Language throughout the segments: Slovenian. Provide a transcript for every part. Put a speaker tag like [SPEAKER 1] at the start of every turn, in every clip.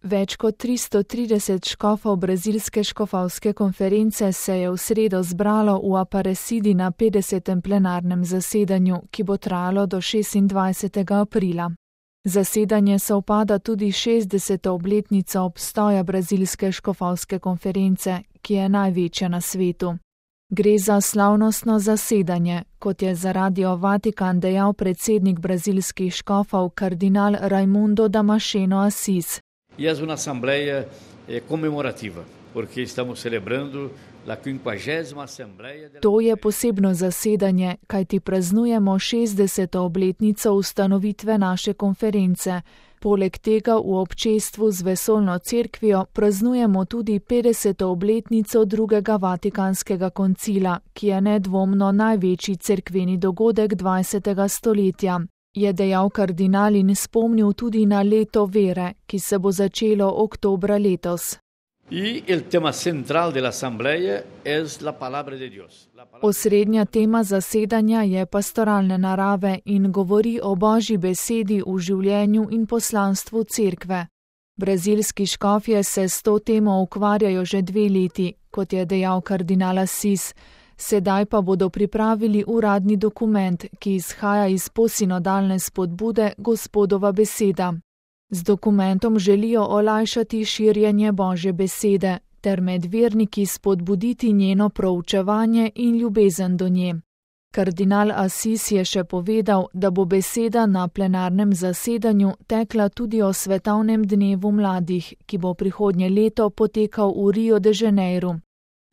[SPEAKER 1] Več kot 330 škofov brazilske škofovske konference se je v sredo zbralo v Aparecidi na 50. plenarnem zasedanju, ki bo trajalo do 26. aprila. Zasedanje sovpada tudi 60. obletnico obstoja brazilske škofovske konference, ki je največja na svetu. Gre za slavnostno zasedanje, kot je za Radio Vatikan dejal predsednik brazilskih škofov kardinal Raimundo Damasceno Assis.
[SPEAKER 2] E uma assembleia comemorativa, porque estamos celebrando a 50ª assembleia.
[SPEAKER 1] To je posebno zasedanje, kajti praznujemo 60. obletnico ustanovitve naše konference. Poleg tega v občestvu z vesoljno cerkvijo praznujemo tudi 50. obletnico drugega Vatikanskega koncila, ki je nedvomno največji cerkveni dogodek 20. stoletja. Je dejal kardinal in spomnil tudi na leto vere, ki se bo začelo oktobra letos. Osrednja tema zasedanja je pastoralne narave in govori o Božji besedi v življenju in poslanstvu cerkve. Brazilski škofje se s to temo ukvarjajo že 2 leti, kot je dejal kardinal Assis. Sedaj pa bodo pripravili uradni dokument, ki izhaja iz posinodalne spodbude Gospodova beseda. Z dokumentom želijo olajšati širjenje Božje besede ter med verniki spodbuditi njeno proučevanje in ljubezen do nje. Kardinal Assis je še povedal, da bo beseda na plenarnem zasedanju tekla tudi o svetovnem dnevu mladih, ki bo prihodnje leto potekal v Rio de Janeiro.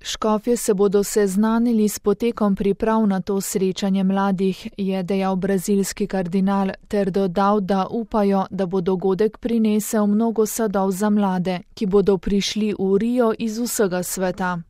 [SPEAKER 1] Škofje se bodo seznanili s potekom priprav na to srečanje mladih, je dejal brazilski kardinal, ter dodal, da upajo, da bo dogodek prinesel mnogo sadov za mlade, ki bodo prišli v Rio iz vsega sveta.